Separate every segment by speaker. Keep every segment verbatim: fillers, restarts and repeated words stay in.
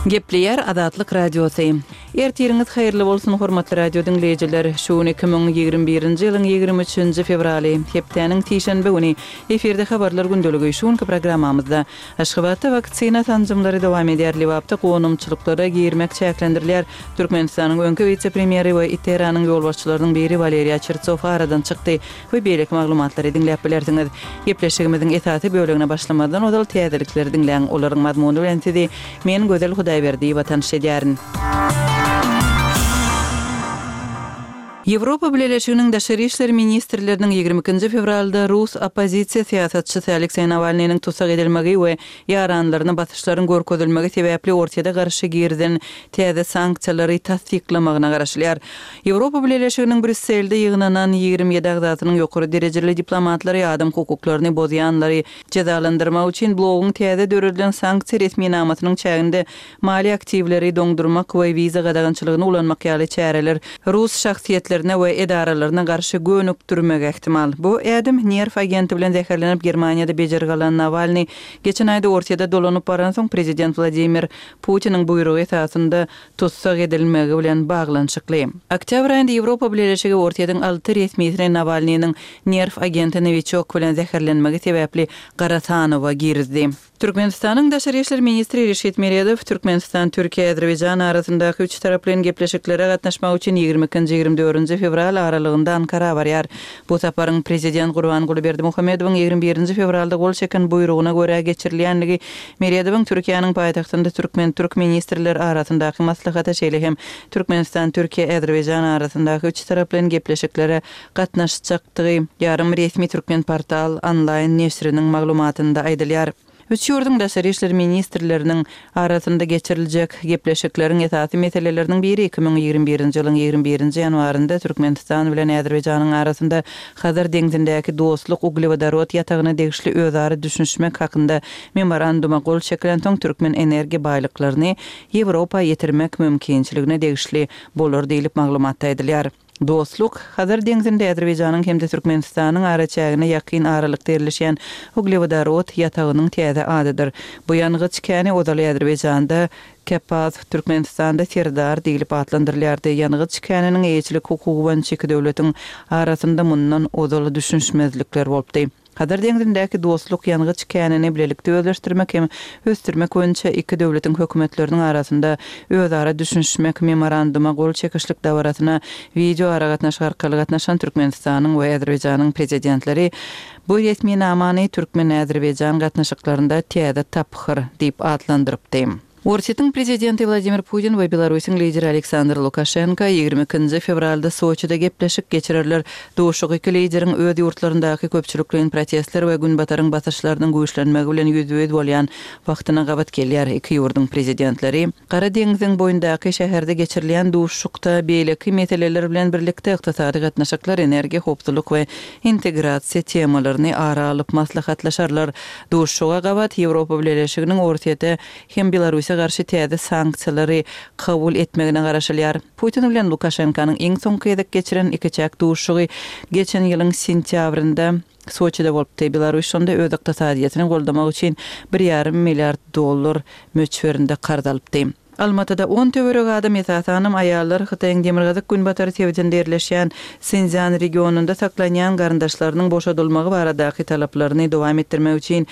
Speaker 1: Gepleýär Azatlyk Radiosy. Ertiriňiz haýyrly bolsun, hormatly radio diňleýjiler. Şu gün iki müň ýigrimi birinji ýylyň ýigrimi üçünji fewraly, hepdäniň sişenbe güni. Efirde Habarlar gündeligi. Şu günki programmamyzda Aşgabatda waksina sanjymlary dowam edýär, Lebapda gonamçylyklara girmek çäklendirilýär, Türkmenistanyň öňki wise-premýeri we ITERA-nyň ýolbaşçylarynyň biri Waleriý Çertsow aradan çykdy we beýleki maglumatlary diňläp bilersiňiz. Gepleşigimiziň esasy bölegine başlamazdan ozal täzelikleri diňläň, olaryň mazmuny bilen sizi men Gözel Hudaýberdiýewa tanyş edýärin. Ýewropa Bileleşiginiň daşary işler ministrleriniň ýigrimi ikinji fewralda rus oppozisiýa syýasatçysy Alekseý Nawalnynyň tussag edilmegi we ýaranlaryna basyşlaryň görkezilmegi sebäpli Orsýete garşy girizen täze sanksiýalary tassyklamagyna garaşylýar. Ýewropa Bileleşiginiň Brýusselde ýygnanan ýigrimi ýedi agzasynyň ýokary derejeli diplomatlary adam hukuklaryny bozýanlary jezalandyrmak üçin bloguň täze döredilen sanksiýa resminamasynyň çäginde maliýe aktiwleri doňdurmak we wiza gadagançylygyny ulanmak ýaly çäreler rus şahsyýetlerine we edaralaryna garşy gönükdirmegi ähtimal. Bu ädim nerw agenti bilen zäherlenip Germaniýada bejergi alan Nawalnyý geçen aýda Orsýete dolanyp baransoň prezident Wladimir Putiniň buýrugy esasynda tussag edilmegi bilen baglanyşykly. Oktýabr aýynda Ýewropa Bileleşigi Orsýetiň alty resmisini Nawalnynyň nerw agenti Nowiçok bilen zäherlenmegi sebäpli gara sanawa girizdi. Türkmenistanyň Daşary işler ministri Reşit Meredow Türkmenistan, Türkiýe, Azerbaýjan arasyndaky üç taraplaýyn gepleşiklere gatnaşmak üçin ýigrimi ikinji, ýigrimi dördünji fewral aralygynda Ankara barýar. Bu saparyň prezident Gurbanguly Berdimuhamedowyň ýigrimi birinji fewralda gol çeken buýrugyna görä geçirilýändigi Meredowyň Türkiýäniň paýtagtynda türkmen-türk ministrler arasyndaky maslahata, şeýle hem Türkmenistan, Türkiýe, Azerbaýjan arasyndaky üç taraplaýyn gepleşiklere gatnaşjakdygy ýarym resmi Türkmenportal onlaýn neşiriniň maglumatynda aýdylýar. Üç ýurduň daşary işler ministrleriniň arasynda geçiriljek gepleşikleriň esasy meseleleriniň biri iki müň ýigrimi birinji ýylyň ýigrimi birinji ýanwarynda Türkmenistan bilen Azerbaýjanyň arasynda Hazar deňzindäki Dostluk uglewodorod ýatagyna degişli özara düşünişmek hakynda memoranduma gol çekilensoň türkmen energiýa baýlyklaryny Ýewropa ýetirmek mümkinçiligine degişli bolar diýlip maglumatda aýdylýar. Dostluk, Hazar deňzinde Azerbaýjanyň hem-de Türkmenistanyň araçägine ýakyn aralykda ýerleşýän uglewodorod ýatagynyň täze adydyr. Bu ýangyç käni ozaly Azerbaýjanda Kepaz, Türkmenistanda Serdar diýlip atlandyrylýardy. Ýangyç käniniň eýeçilik hukugy boýunça iki döwletiň arasynda mundan ozal düşünişmezlikler bolupdy. Hazar deňzindäki Dostluk ýangyç känini bilelikde özleşdirmek hem ösdürmek boýunça iki döwletiň hökümetleriniň arasynda özara düşünişmek memoranduma gol çekişlik dabarasyna wideoaragatnaşyk arkaly gatnaşan Türkmenistanyň we Azerbaýjanyň prezidentleri bu resminamany türkmen-azerbaýjan gatnaşyklarynda täze tapgyr diýip atlandyrypdy. Orsýetiň prezidenti Wladimir Putin we Belarusyň lideri Aleksandr Lukaşenko ýigrimi ikinji fewralda Soçide gepleşik geçirerler. Duşuşyk iki lideriň öz ýurtlaryndaky köpçülikleýin protestler we Günbataryň basyşlarynyň güýçlenmegi bilen ýüzbe-ýüz bolýan wagtyna gabat gelýär. Iki ýurduň prezidentleri Gara deňziň boýundaky şäherde geçirilýän duşuşykda beýleki meseleler bilen birlikde ykdysady gatnaşyklar, energiýa howpsuzlyk we integrasiýa temalaryny ara alyp maslahatlaşarlar. Duşuşyga gabat Ýewropa Bileleşiginiň Orsýete hem Belarusa garşy täze sanksiýalary kabul etmegine garaşylýar. Putin bilen Lukaşenkanyň iň soňky gezek geçiren ikiçäk duşuşygy geçen ýylyň sentýabrynda Soçide bolupdy. Belarus şonda öz ykdysadyýetini goldamak üçin bir ýarym milliard dollar möçberinde karz alypdy. Almatyda on töweregi adam, esasanam aýallar Hytaýyň demirgazyk-günbatar sebitinde ýerleşýän Sinszýan regionynda saklanýan garyndaşlarynyň boşadylmagy baradaky talaplaryny dowam etdirmek üçin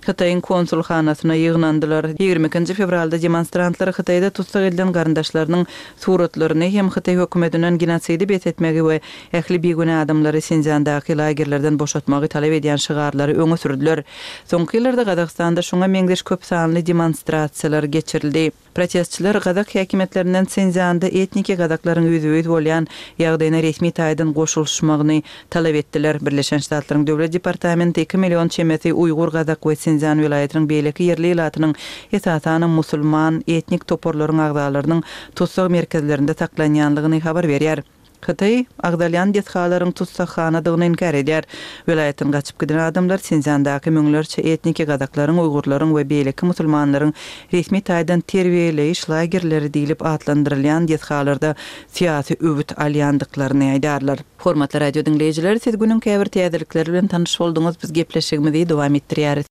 Speaker 1: Hytaýyň konsulhanasyna ýygnandylar. Ýigrimi ikinji fewralda demonstrantlar Hytaýda tussag edilen garyndaşlarynyň suratlaryny hem Hytaý hökümetinden genosidi bes etmegi we ähli bigünä adamlary Sinszýandaky lagerlerden boşatmagy talap edýän şygarlary öňe sürdüler. Soňky ýyllarda Gazagystanda şuňa meňzeş köp sanly demonstrasiýalar geçirildi. Protestçiler gazak häkimiýetlerinden Sinszýanda etniki gazaklaryň ýüzbe-ýüz bolýan ýagdaýyna resmi taýdan goşulyşmagyny talap etdiler. Birleşen Ştatlaryň Döwlet departamenti iki million çemesi uýgur, gazak we Sinszýan welaýatynyň beýleki ýerli ilatynyň, esasanam musulman etnik toparlaryň agzalarynyň tussag merkezlerinde saklanýanlygyny habar berýär. Hytaý agzalýan desgalaryň tussaghanadygyny inkär edýär. Welaýatdan gaçyp giden adamlar Sinszýandaky müňlerçe etniki gazaklaryň, uýgurlaryň we beýleki musulmanlaryň resmi taýdan terbiýeleýiş lagerleri diýlip atlandyrylýan desgalarda syýasy öwüt alýandyklaryny aýdarlar. Hormatly radio diňleýjiler, siz günüň käbir täzelikleri bilen tanyş bolduňyz, biz gepleşigimizi dowam etdirýäris.